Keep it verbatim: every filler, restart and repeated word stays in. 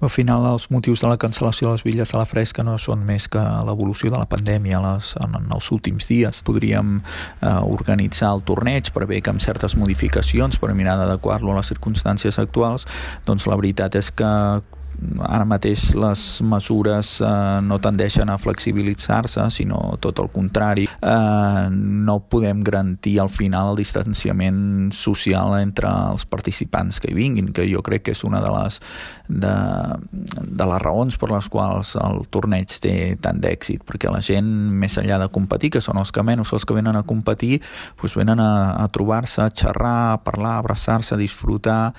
Al final, els motius de la cancel·lació de les bitlles de la Fresca no són més que l'evolució de la pandèmia les, en, en els últims dies. Podríem eh, organitzar el torneig, prevé que amb certes modificacions per mirar d'adequar-lo a les circumstàncies actuals, doncs la veritat és que ara mateix les mesures eh, no tendeixen a flexibilitzar-se, sinó tot el contrari. Eh, no podem garantir al final el distanciament social entre els participants que hi vinguin, que jo crec que és una de les, de, de les raons per les quals el torneig té tant d'èxit, perquè la gent, més enllà de competir, que són els que menys, els que venen a competir, doncs venen a, a trobar-se, a xerrar, a parlar, a abraçar-se, a disfrutar,